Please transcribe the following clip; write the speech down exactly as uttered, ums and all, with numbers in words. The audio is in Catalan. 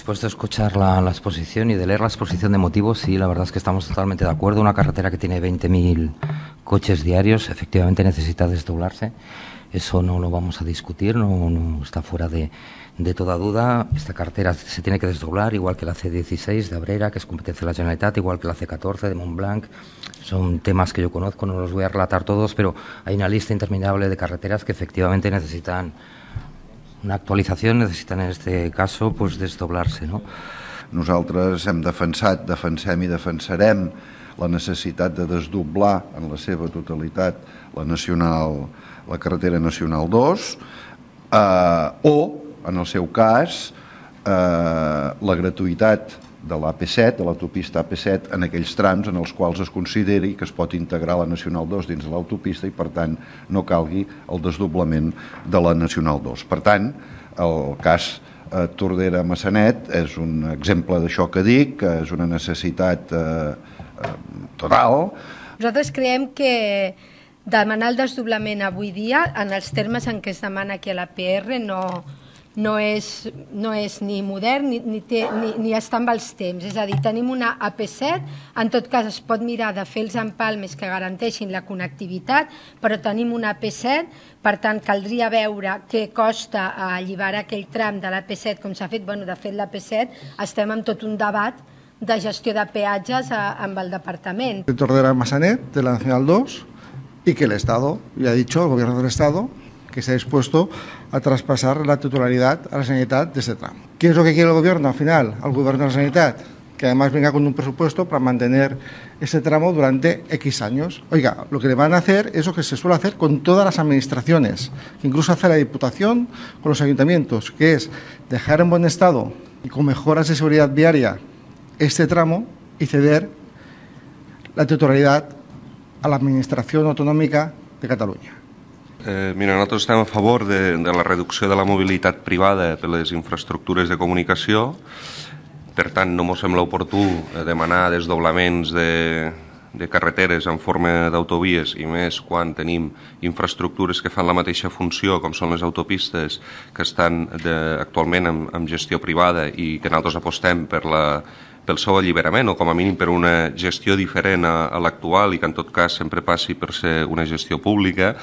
Después de escuchar la, la exposición y de leer la exposición de motivos, sí, la verdad es que estamos totalmente de acuerdo. Una carretera que tiene veinte mil coches diarios, efectivamente necesita desdoblarse. Eso no lo vamos a discutir, no, no está fuera de, de toda duda. Esta carretera se tiene que desdoblar, igual que la C dieciséis de Abrera, que es competencia de la Generalitat, igual que la C catorce de Montblanc. Son temas que yo conozco, no los voy a relatar todos, pero hay una lista interminable de carreteras que efectivamente necesitan una actualització, necessiten en este cas pues, desdoblar-se. No? Nosaltres hem defensat, defensem i defensarem la necessitat de desdoblar en la seva totalitat la, nacional, la carretera nacional dos eh, o, en el seu cas, eh, la gratuïtat de l'A P set, de l'autopista A P set, en aquells trams en els quals es consideri que es pot integrar la Nacional dos dins de l'autopista i, per tant, no calgui el desdoblament de la Nacional dos. Per tant, el cas eh, Tordera-Massanet és un exemple d'això que dic, que és una necessitat eh, eh, total. Nosaltres creiem que demanar el desdoblament avui dia, en els termes en què es demana aquí a la P R, no... No és, no és ni modern ni, ni, té, ni, ni està amb els temps. És a dir, tenim una A P set, en tot cas es pot mirar de fer els empalmes que garanteixin la connectivitat, però tenim una A P set, per tant caldria veure què costa alliberar aquell tram de l'A P set com s'ha fet. Bueno, de fet, l'A P set estem en tot un debat de gestió de peatges a, amb el departament. De Tordera-Massanet, de la Nacional dos, y que el Estado, ya ha dicho, el Gobierno del Estado, que está dispuesto a traspasar la titularidad a la Generalitat de este tramo. ¿Qué es lo que quiere el Gobierno al final? Al Gobierno de la Generalitat, que además venga con un presupuesto para mantener ese tramo durante X años. Oiga, lo que le van a hacer es lo que se suele hacer con todas las administraciones, que incluso hace la Diputación con los ayuntamientos, que es dejar en buen estado y con mejoras de seguridad viaria este tramo y ceder la titularidad a la Administración Autonòmica de Catalunya. Eh, mira, nosaltres estem a favor de, de la reducció de la mobilitat privada per les infraestructures de comunicació. Per tant, no ens sembla oportú demanar desdoblaments de, de carreteres en forma d'autovies, i més quan tenim infraestructures que fan la mateixa funció, com són les autopistes, que estan de, actualment en, en gestió privada i que nosaltres apostem per la pel seu alliberament o com a mínim per una gestió diferent a, a l'actual i que en tot cas sempre passi per ser una gestió pública.